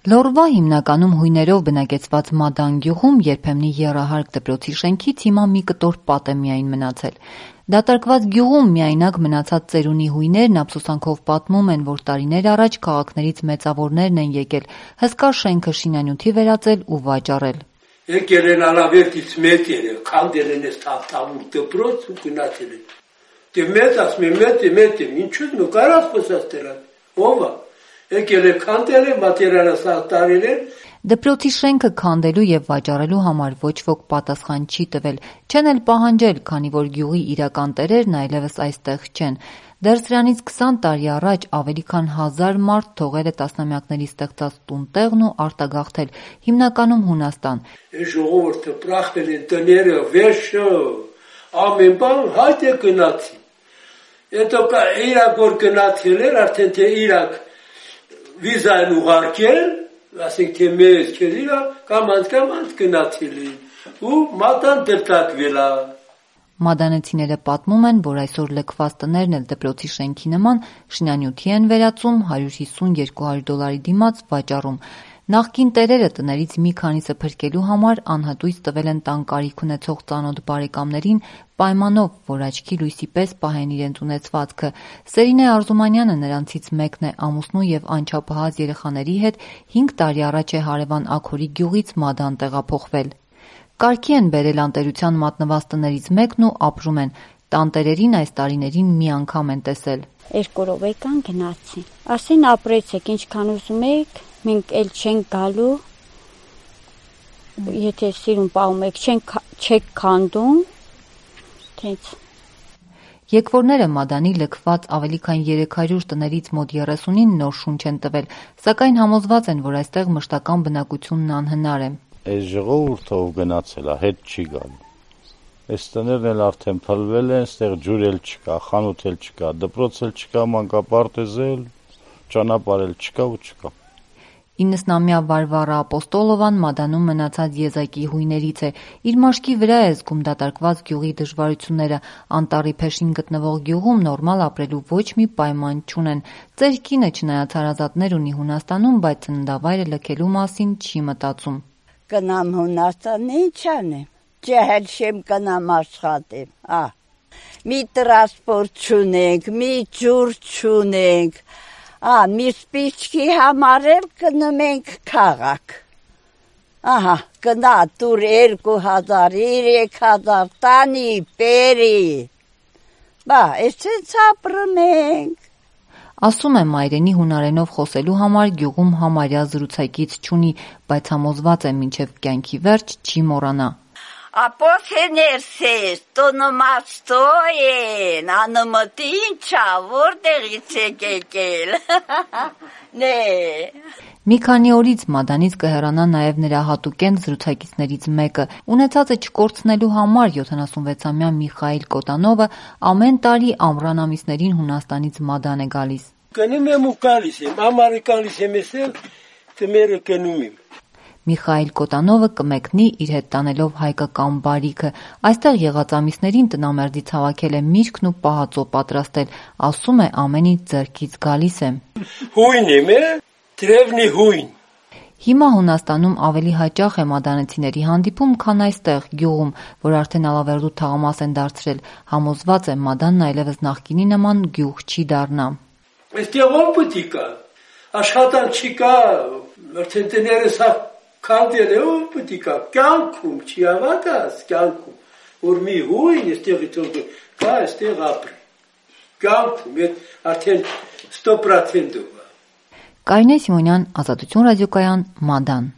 Լոռվա հիմնականում հույներով բնակեցված Մադան գյուղում երբեմնի եռահարկ դպրոցի շենքից հիմա մի կտոր պատ է միայն մնացել։ Դատարկված գյուղում միայնակ մնացած ծերունի հույներն ափսոսանքով պատմում են, որ տարիներ առաջ քաղաքներից մեծավորներն են եկել հսկա շենքը շինանյութի վերածել ու վաճառել։ Եկել են Ալավերտից մեծ երեք, քանդել են այս թավթավուր դպրոց ու գնացել են։ Դե մեծ ասում են, մեծ, ինչու՞ նո կարաս խոսաստել, ով է։ Եկել է քանդել է, մատերիալը սատարել են։ Դպրոցի շենքը քանդելու եւ վաճառելու համար ոչ ոք պատասխան չի տվել, չեն էլ պահանջել, քանի որ գյուղի իրական տերերն այլևս այստեղ չեն։ Դեռ սրանից 20 տարի առաջ ավելի քան 1000 մարդ թողել է տասնամյակների ստեղծած տուն-տեղն ու արտագաղթել, հիմնականում Հունաստան։ Ժողովուրդը պրախվել են տները, վեշը, ամեն բան հայտ է գնացի։ Հետո իրակ որ գնացել էր, արդեն թե իրակ վիզան ուղարկել, ասենք թե մեզ քերիրա կամանց գնացել են ու մատան դրտակվել է։ Մադանեցիները պատմում են, որ այսօր լքված տներն էլ դպրոցի շենքի նման շինանյութի են վերածում, $150-200 դիմաց վաճառում։ Նախկին տերերը տներից մի քանիսը փրկելու համար անհատույց տվել են տան կարիք ունեցող ծանոթ բարեկամներին պայմանով, որ աչքի լույսի պես պահեն իրենց ունեցվածքը։ Սերինե Արզումանյանը նրանցից մեկն է, ամուսնու եւ անչափահաս երեխաների հետ 5 տարի առաջ է հարևան Աքորի գյուղից Մադան տեղափոխվել։ Կարգի են բերել անտերության մատնված տներից մեկն ու ապրում են։ Տանտերերին այս տարիներին մի անգամ են տեսել։ 2 օրով եկան գնացին։ Ասին ապրեցեք, ինչքան ուզում եք, մենք էլ չենք գալու։ Եթե սիրուն պահում եք, չեք քանդում։ Թենց։ Եկվորները Մադանի լքված ավելի քան 300 տներից մոտ 30-ին նոր շունչ են տվել, սակայն համոզված են, որ այստեղ մշտական բնակությունն անհնար է։ Այս ժողովուրդը ով գնացել է, հետ չի գալու։ Այս տներն էլ արդեն փլվել են, այստեղ ջուր էլ չկա, խանութ էլ չկա, դպրոց էլ չկա, մանկապարտեզ էլ, ճանապարհ էլ չկա ու չկա։ 90-ամյա Վարվարա Ապոստոլովան Մադանում մնացած եզակի հույներից է։ Իր մաշկի վրա է զգում դատարկված գյուղի դժվարությունները։ Անտառի փեշին գտնվող գյուղում նորմալ ապրելու ոչ մի պայման չունեն։ Ծեր կինը չնայած հարազատներ ունի Հունաստանում, բայց ծննդավայրը լքելու մասին չի մտածում։ Կնամ Հունաստան, ինչ անեմ։ Ջահել շեմ կնամ աշխատեմ։ Մի տրանսպորտ չունենք, մի ջուր չունենք։ Մի սպիչքի համար էլ գնում ենք քաղաք։ Գնա տուր 2000, 3000 տանի, բերի։ Այսպես ապրում ենք։ Ասում է մայրենի հունարենով խոսելու համար գյուղում համարյա զրուցակից չունի, բայց համոզված է մինչև կյանքի վերջ չի մոռանա։ Ապոթեներսես, տոնոմաստոյեն, անմտի ինչա, որտեղից եք եկել։ Մի քանի օրից Մադանից կհեռանա նաև նրա հատուկենտ զրուցակիցներից մեկը։ Ունեցածը չկորցնելու համար 76-ամյա Միխայիլ Կոտանովը ամեն տարի ամռան ամիսներին Հունաստանից Մադան է գալիս։ Գնում եմ ու գալիս եմ, ամառը գալիս եմ էսել, տմերը գնում եմ։ Միխայիլ Կոտանովը կմեկնի իր հետ տանելով հայկական բարիքը։ Այստեղ եղած ամիսներին տնամերձից հավաքել է միրգն ու պահածո պատրաստել, ասում է ամեն ինչ ձեռքից գալիս է։ Հույն եմ, դրևնի հույն։ Հիմա Հունաստանում ավելի հաճախ է մադանեցիների հանդիպում, քան այստեղ գյուղում, որ արդեն Ալավերդու թաղամաս են դարձրել։ Համոզված է Մադանն այլևս նախկինի նման գյուղ չի դառնա։ Այստեղ ով պետք է աշխատանք չկա, արդեն տները սա քանդել է, ով պետք է կյանքում չի հավատաս, կյանքում, որ մի հույն այստեղից կա, այստեղ ապրի։ Կյանքում արդեն 100%-ով։ Կարինե Սիմոնյան, Ազատություն ռադիոկայան, Մադան։